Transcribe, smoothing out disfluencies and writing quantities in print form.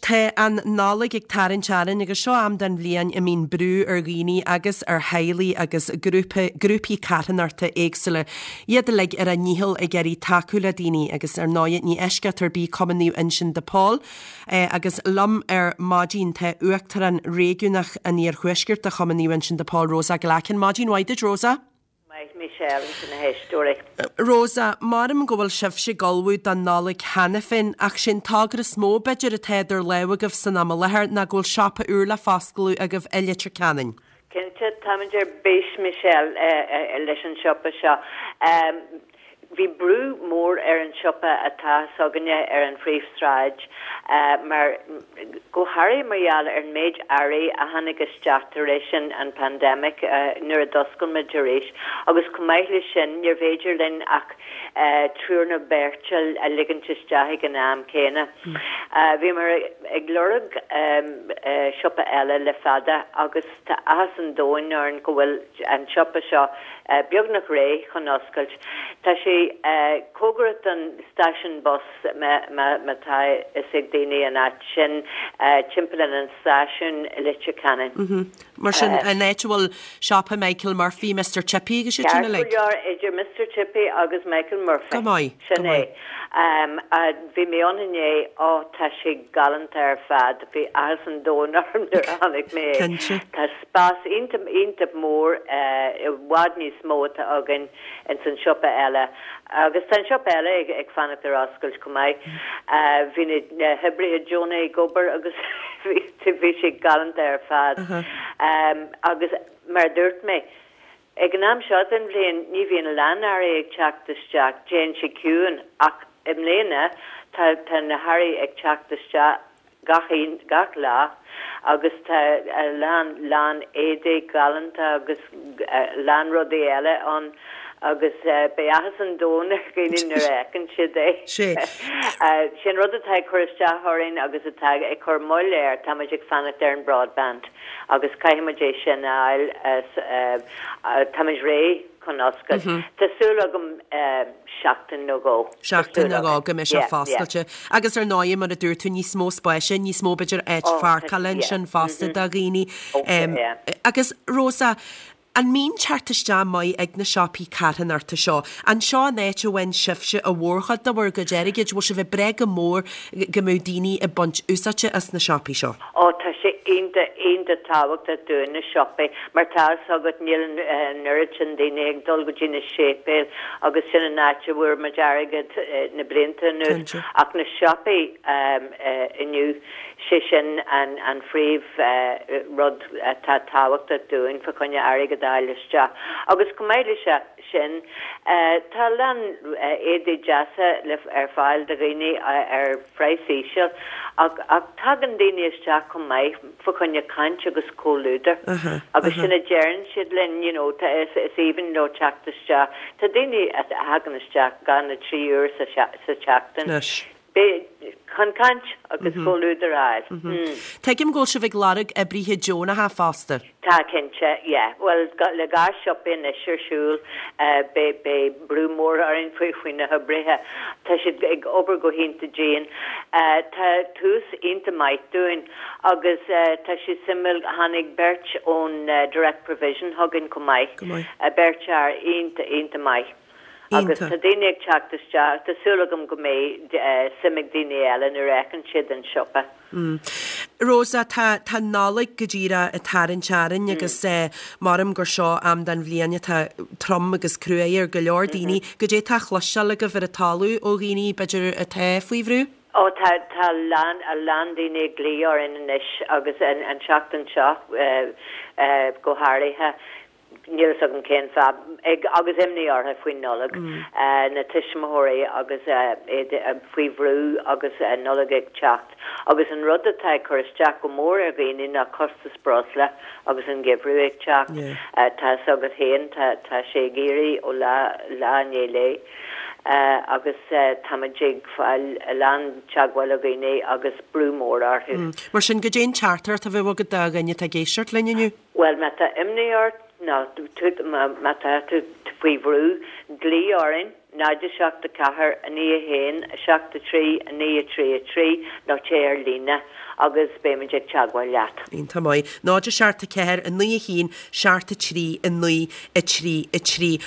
tá an Nollaig ag tarraingt orainn agus seo am den bhliain a mbíonn brú ar dhaoine agus ar theaghlaigh agus grúpa, grúpaí carthanachta éagsúla, iad uilig ar a ndícheall ag iarraidh tacú le daoine agus ar ndóigh ní eisceacht ar bith Cumann Naomh Uinseann de Pól. Agus liom ar maidin tá Uachtarán Réigiúnach an Iarthuaiscirt de Chumann Naomh Uinseann de Pól, Rosa Glackin. Maidin mhaith duit, Rosa. Maith, Michelle, agus na héisteoirí. Rosa, Maram go bhfuil sibhse ag ullmhú don Nollaig cheana féin, ach sé an togra is mó, b'fhéidir, atá idir lámha agaibh san am i láthair ná go bhfuil siopa úr le foscladh agaibh i Leitir Ceanainn. Cinnte, táimid ar bís, Michelle, leis an siopa seo. Bhí brú mór ar an siopa atá s'againne ar an phríomhshráid mar, go háirithe mar gheall ar an méid earraí a tháinig isteach tar éis an pandemic nuair a d'oscail muid arís agus chomh maith leis sin níorbh fhéidir linn ach triúr nó beirt a ligint isteach ag an am céanna. Bhíomar ag lorg siopa eile le fada agus tá áthas an domhain orainn go bhfuil an siopa seo beagnach réidh chun oscailt. Tá sé cóngarach don stáisiún bus má tá fhios ag daoine an áit sin, timpeall ar an stáisiún i Leitir Ceanainn. Mar sin, an áit a bhfuil siopa Michael Murphy, Mister Chippy agus iad sin uilig? Ceart go leor, idir Mister Chippy agus Michael Murphy. Go maith, go Sin é. maith. Bhí mé ann inné, ó tá sé galánta ar fad, bhí áthas an domhain orm nuair a chonaic mé é. Cinnte. Tá spás iontach, iontach mór, i bhfad níos mó atá againn ins an siopa eile. Agus tá an siopa eile ag, ag fanacht ar oscailt chomh maith. Bhí na, na hoibrithe deonacha ag obair agus bhí, bhí sé galánta ar fad. Agus mar a dúirt mé, ag an am seo den bhliain ní bhíonn a lán earraí ag teacht isteach, téann sé ciúin ach i mbliana tá, tá na hearraí ag teacht isteach gach aon, gach lá agus tá a lán, lán éadaí galánta agus a lán rudaí eile ann agus beidh áthas an domhain ar dhaoine nuair a fheiceann siad é. Sé. Sé an rud atá ag cur isteach orainn agus atá ag cur moill air, tá muid ag fanacht ar an broadband agus caithfidh muid é sin a fháil, tá muid réidh chun oscailt. Tá súil agam seachtain nó dhó. Seachtain nó dhó go mbeidh sé foscailte. Agus ar ndóigh, mar a dúirt tú, níos mó spáis, níos mó b'fhéidir áit pháirceála ansin fosta do dhaoine. Agus Rosa, an mbíonn teacht isteach maith ag na siopaí carthanachta seo? An seo an áit a bhfaigheann sibhse an mhórchuid de bhur gcuid airgid? Bhfuil sibh ag brath go mór go mbeadh daoine ag baint úsáide as na siopaí seo? Ó tá sé iontach, iontach tábhachtach dúinn na siopaí mar tá fhios agat níl an oiread sin daoine ag dul go dtí na séipéil agus sin an áit a bhfuair muid airgead na blianta anuas ach na siopaí inniu sé sin an an phríomh rud atá tábhachtach dúinn fá choinne airgead a fháil isteach agus chomh maith leis sin tá a lán éadaí deasa ar fáil do dhaoine ar phraghas íseal ach ach tagann daoine isteach chomh maith fá choinne caint agus comhluadar agus sin a deireann siad linn you know tá is is aoibhinn leo teacht isteach. Tá daoine a thagann isteach 2 nó 3 uair sa sa tseachtain chun caint agus comhluadar a fháil. Tuigim go bhfuil sibh ag lorg oibrithe deonacha fosta. Tá, cinnte, yeah. Bhuel, le 2 siopa anois ar siúl, beidh, beidh brú mór orainn faoi, faoi na hoibrithe. Tá siad ag obair go hiontach dian. Tá tús iontach maith dúinn agus tá sé suimiúil, tháinig beirt ón Direct Provision chugainn chomh maith. Go maith. Beirt fhear iontach, iontach maith. Agus Iontach. tá daoine ag teacht isteach, tá súil agam go mbeidh suim ag daoine eile nuair a fheiceann siad an siopa. Rosa, tá, tá Nollaig go díreach ag tarraingt orainn agus maram gur seo am den bhliain atá trom agus cruaidh ar go leor daoine. Goidé atá á chloisteáil agaibh ar an talamh ó dhaoine, b'fhéidir, atá faoi bhrú? Ó tá, tá a lán, a lán daoine ag glaoch orainn anois agus an, an tseachtain seo go háirithe. Níl fhios agam cén fáth, ag, agus imní orthu faoin Nollaig, na tuismitheoirí agus iad faoi bhrú agus an Nollaig ag teacht. Agus an rud atá ag cur isteach go mór ar dhaoine ná costas breosla agus an geimhreadh ag teacht. Tá fhios agat féin, tá, tá sé ag éirí ó lá, lá i ndiaidh lae agus táimid ag fáil a lán teagmháil ó dhaoine agus brú mór orthu. Mar sin, goidé an teachtaireacht a bheadh agat do dhuine atá ag éisteacht linn inniu? Bhuel, má tá imní ort nó má tá tú faoi bhrú, glaoigh orainn. 0 7 4 9 1 7 3 9 3 3 nó téigh ar líne agus beimid ag teagmháil leat. Iontach maith. 0 7 4 9 1 7 3 9 3 3.